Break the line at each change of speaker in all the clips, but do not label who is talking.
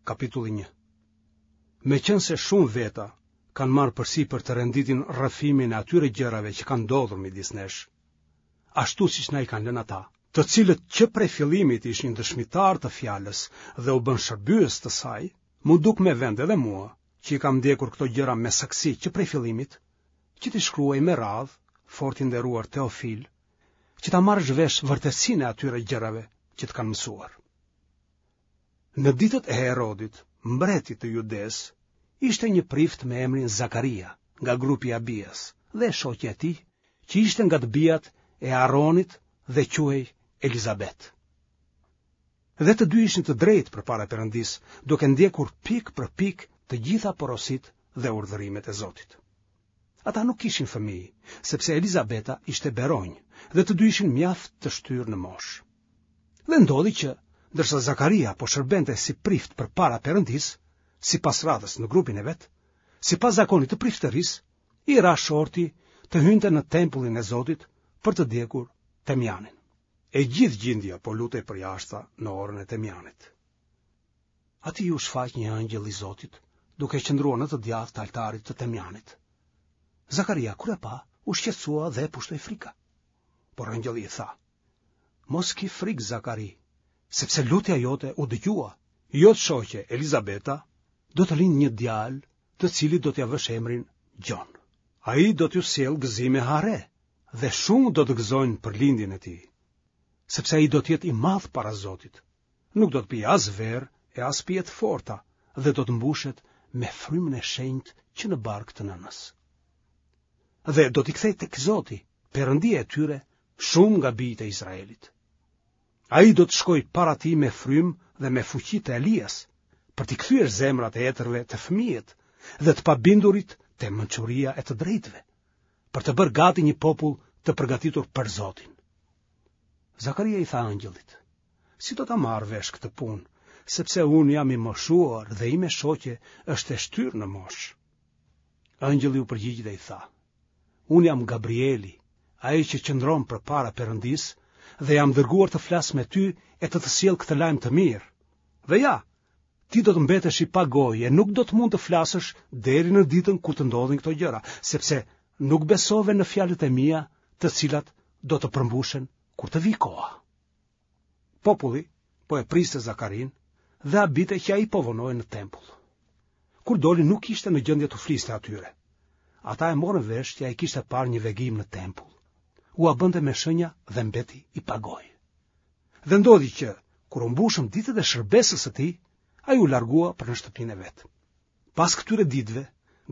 Kapitulli 1 Meqenëse shumë veta kanë marrë përsipër të renditin rrëfimin e atyre gjërave që kanë ndodhur midis nesh, ashtu siç na i kanë lënë ata, të cilët që prej fillimit ishin dëshmitarë të fjalës dhe u bënë shërbyes të saj, m'u duk me vend edhe mua, që i kam ndjekur këto gjëra me saktësi që prej fillimit, që t'i shkruaj me radhë, fort i nderuar Teofil, që ta marrësh vesh vërtetësinë e atyre gjërave që të kanë mësuar. Në ditët e Herodit, mbretit të Judesë, ishte një prift me emrin Zakaria, nga grupi i Abias, dhe e shoqja e tij, që ishte nga të bijat e Aaronit dhe quhej Elizabet. Dhe të dy ishin të drejtë përpara Perëndisë, duke ndjekur pikë për pikë të gjitha porositë dhe urdhërimet e Zotit. Ata nuk kishin fëmijë, sepse Elizabeta ishte beronjë dhe të dy ishin mjaft të shtyrë në moshë. Dhe ndodhi që, ndërsa Zakaria po shërbente si prift përpara Perëndisë, sipas radhës në grupin e vet, sipas zakonit të priftërisë, i ra shorti të hynte në tempullin e Zotit për të djegur temjanin. E gjithë gjindja po lutej përjashta në orën e temjanit. Atij iu shfaq një ëngjëll i Zotit, duke qëndruar në të djathtë të altarit të temjanit. Zakaria, kur e pa, u shqetësua dhe e pushtoi frika. Por ëngjëlli i tha, Mos ki frikë, Zakari, sepse lutja jote u dëgjua. Jot shoqe, Elizabeta, do të lindë një djalë, të cilit do t'ia vësh emrin Gjon. Ai do t'ju sjellë gëzim e hare, dhe shumë do të gëzojnë për lindjen e tij, sepse ai do të jetë i madh para Zotit. Nuk do të pijë as verë e as pije të forta dhe do të mbushet me frymën e shenjtë që në bark të nënës. Dhe do t'i kthejë tek Zoti, Perëndia e tyre, shumë nga bijtë e Izraelit. Ai do të shkojë para tij me frymë dhe me fuqi të Elias, për t'i kthyer zemrat e etërve te fëmijët dhe të pabindurit te mençuria e të drejtëve, për të bërë gati një popull të përgatitur për Zotin. Zakaria i tha ëngjëllit, si do ta marr vesh këtë punë, sepse unë jam i moshuar dhe ime shoqe është e shtyrë në moshë. Ëngjëlli iu përgjigj dhe i tha, unë jam Gabrieli, ai që qëndron përpara Perëndisë, dhe jam dërguar të flas me ty e të të sjell këtë lajm të mirë. Dhe ja, ti do të mbetesh i pagojë e nuk do të mund të flasësh deri në ditën kur të ndodhin këto gjëra, sepse nuk besove në fjalët e mia, të cilat do të përmbushen kur të vijë koha. Populli po e priste Zakarinë dhe habitej që ai po vonohej në tempull. Kur doli nuk ishte në gjendje t'u fliste atyre. Ata e morën vesh që ai kishte parë një vegim në tempull. Ua bënte me shenja dhe mbeti i pagojë. Dhe ndodhi që, kur u mbushën ditët e shërbesës së tij, ai u largua për në shtëpinë e vet. Pas këtyre ditëve,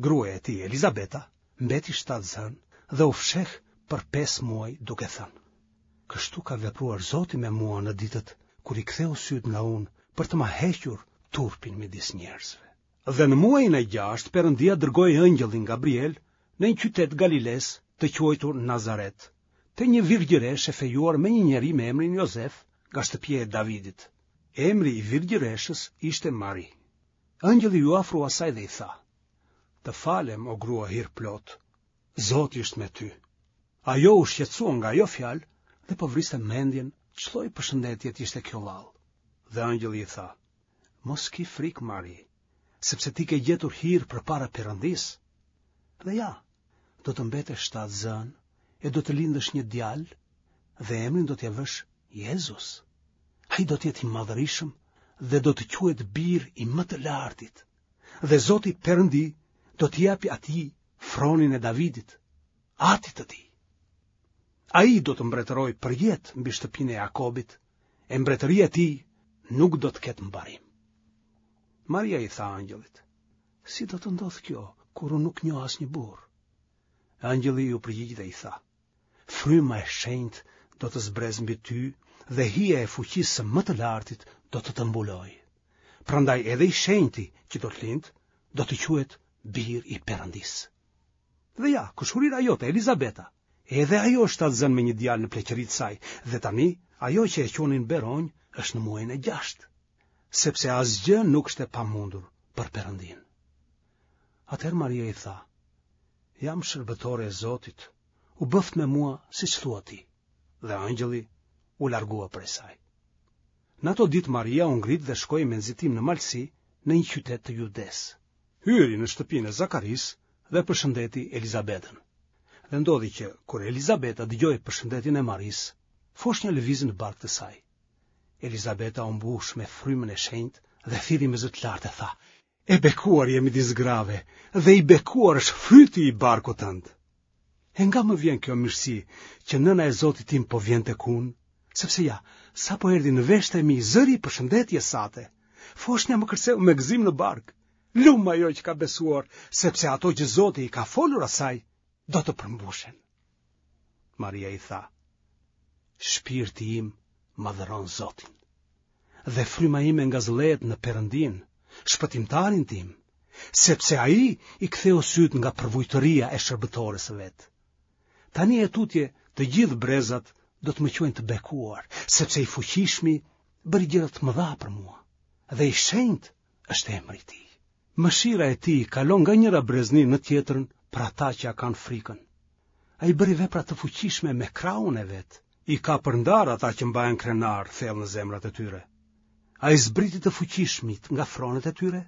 gruaja e tij, Elizabeta, mbeti shtatzënë dhe u fsheh për 5 muaj duke thënë: Kështu ka vepruar Zoti me mua në ditët kur i ktheu sytë nga unë për të ma hequr turpin midis njerëzve. Dhe në muajin e gjashtë Perëndia dërgoi ëngjëllin Gabriel në një qytet Galilesë të quajtur Nazaret, te një virgjëreshë e fejuar me një njeri me emrin Jozef nga shtëpia e Davidit. Emri i virgjëreshës ishte Mari. Ëngjëlli iu afrua asaj dhe i tha: Të falem, o grua hirplotë, Zoti është me ty. Ajo u shqetësua nga ajo fjalë dhe po vriste mendjen ç'lloj përshëndetje të ishte kjo vallë. Dhe ëngjëlli i tha: Mos ki frikë, Mari, sepse ti ke gjetur hir përpara Perëndisë. Dhe ja, do të mbetesh shtatzënë e do të lindësh një djalë dhe emrin do t'ia vësh Jezus. Ai do të jetë i madhërishëm dhe do të quhet bir i më të lartit. Dhe Zoti Perëndi do t'i japë atij fronin e Davidit, atit të tij. Ai do të mbretërojë përjetë mbi shtëpinë e Jakobit, e mbretëria e tij nuk do të ketë mbarim. Maria i tha ëngjëllit, si do të ndodhë kjo, kur unë nuk njoh asnjë burrë? Ëngjëlli iu përgjigj dhe i tha, Fryma e shenjtë do të zbresë mbi ty dhe hija e fuqisë së më të lartit do të të mbulojë. Prandaj edhe i shenjti që do të lindë, do të quhet bir i Perëndisë. Dhe ja, kushërira jote, Elizabeta, edhe ajo është shtatzënë me një djalë në pleqëri të saj, dhe tani ajo që e quanin beronjë është në muajin e gjashtë, sepse asgjë nuk është e pamundur për Perëndinë. Atëherë Maria i tha, jam shërbëtore e Zotit, u bëftë me mua siç thua ti. Dhe ëngjëlli u largua prej saj. Në ato ditë Maria u ngrit dhe shkoi me nxitim në malësi në një qytet të Judesë. Hyri në shtëpinë e Zakarisë dhe përshëndeti Elizabetën. Dhe ndodhi që, kur Elizabeta dëgjoi përshëndetjen e Marisë, foshnja lëvizi në bark të saj. Elizabeta u mbush me frymën e shenjtë dhe thirri me zë të lartë e tha: E bekuar je midis grave dhe i bekuar është fryti i barkut tënd. E nga më vjen kjo mirësi që nëna e Zotit tim po vjen tek unë? Sepse ja, sapo erdhi në veshët e mi zëri i përshëndetjes sate. Foshnja më kërceu me gëzim në bark. Lum ajo që ka besuar, sepse ato që Zoti i ka folur asaj do të përmbushen. Maria i tha: Shpirti im madhëron Zotin. Dhe fryma ime ngazëllehet në Perëndinë, shpëtimtarin tim, sepse ai i ktheu sytë nga përvujtëria e shërbëtores së vet. Tani e tutje të gjithë brezat do të më quajnë të bekuar, sepse i fuqishmi bëri gjëra të mëdha për mua, dhe i shenjtë është emri i tij. Mëshira e tij kalon nga njëra brezni në tjetrën për ata që ia kanë frikën. Ai bëri vepra të fuqishme me krahun e vet. I ka përndarë ata që mbahen krenarë thellë në zemrat e tyre. Ai zbriti të fuqishmit nga fronet e tyre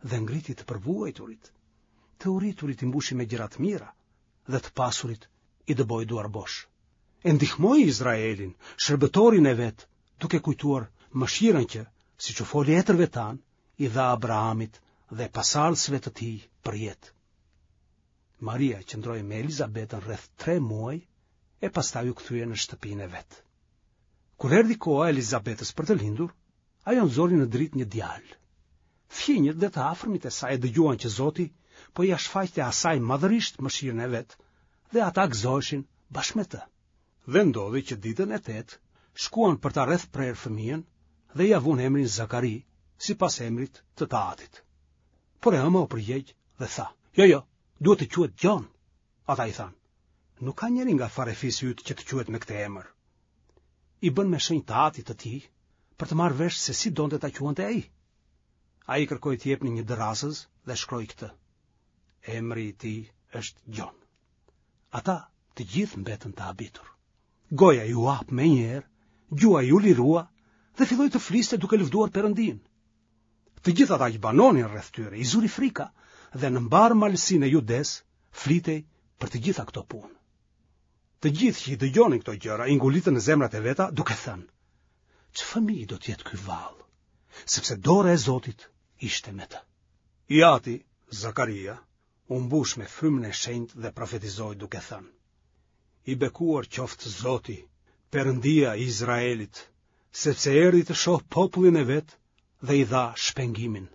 dhe ngriti të përvuajturit. Të uriturit i mbushi me gjëra të mira dhe të pasurit i dëboi duarbosh. E ndihmoi Izraelin, shërbëtorin e vet, duke kujtuar mëshirën që, siç u foli etërve tanë, i dha Abrahamit dhe pasardhësve të tij përjetë. Maria qëndroi me Elizabetën rreth 3 muaj e pastaj u kthye në shtëpinë e vet. Kur erdhi koha e Elizabetës për të lindur, ajo nxori në dritë një djalë. Fqinjët dhe të afërmit e saj e dëgjuan që Zoti po ia shfaqte asaj madhërisht mëshirën e vet dhe ata gëzoheshin bashkë me të. Dhe ndodhi që ditën e tetë shkuan për ta rrethprerë fëmijën dhe ia vunë emrin Zakari, sipas emrit të të atit. Por e ëma u përgjigj dhe tha, jo, jo, duhet të quhet Gjon. Ata i thanë, nuk ka njeri nga farefisi yt që të quhet me këtë emër. I bënë me shenjë të atit të tij, për të marrë vesh se si donte ta quante ai. Ai kërkoi t'i jepnin një dërrasëz dhe shkroi këtë. Emri i tij është Gjon. Ata të gjithë mbetën të habitur. Goja iu hap menjëherë, gjuha iu lirua dhe filloi të fliste duke lëvduar Perëndinë. Të gjithë ata që banonin rreth tyre i zuri frika dhe në mbarë malësinë e Judesë flitej për të gjitha këto punë. Të gjithë që i dëgjonin këto gjëra i ngulitën në zemrat e veta duke thënë: Ç'fëmijë do të jetë ky vallë? Sepse dora e Zotit ishte me të. I ati, Zakaria, u mbush me frymën e shenjtë dhe profetizoi duke thënë: I bekuar qoftë Zoti, Perëndia i Izraelit, sepse erdhi të shohë popullin e vet dhe i dha shpengimin.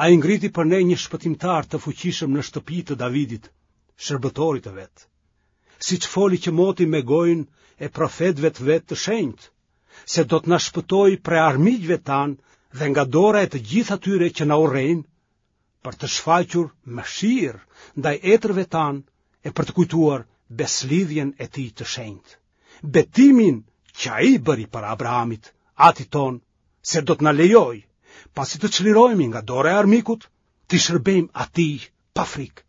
Ai ngriti për ne një shpëtimtar të fuqishëm në shtëpi të Davidit, shërbëtorit të vet. Siç foli që moti me gojën e profetëve të vet të shenjtë, se do të na shpëtojë prej armiqve tanë dhe nga dora e të gjithë atyre që na urrejnë, për të shfaqur mëshirë ndaj etërve tanë e për të kujtuar besëlidhjen e tij të shenjtë. Betimin që ai bëri para Abrahamit, atit tonë, se do të na lejojë, pasi të çlirohemi nga dora e armikut, t'i shërbejmë atij pa frikë,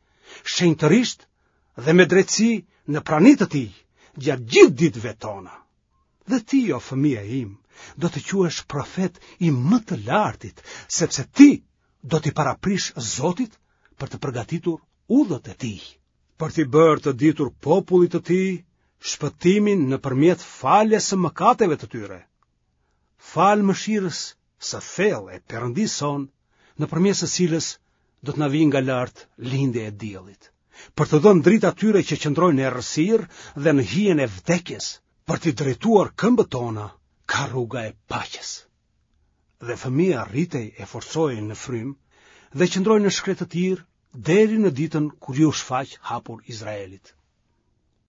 shenjtërisht dhe me drejtësi në prani të tij, gjatë gjithë ditëve tona. Dhe ti, o fëmija im, do të quhesh profet i më të lartit, sepse ti do t'i paraprish Zotit për të përgatitur udhët e tij, për t'i bërë të ditur popullit të tij shpëtimin nëpërmjet faljes së mëkateve të tyre. Falë mëshirës së thellë e Perëndisë sonë, nëpërmjet së cilës do të na vijë nga lart lindja e diellit, për t'u dhënë dritë atyre që qëndrojnë në errësirë dhe në hijen e vdekjes, për t'i drejtuar këmbët tona ka rruga e paqes. Dhe fëmija rritej e forcohej në frymë dhe qëndroi në shkretëtirë deri në ditën kur iu shfaq hapur Izraelit.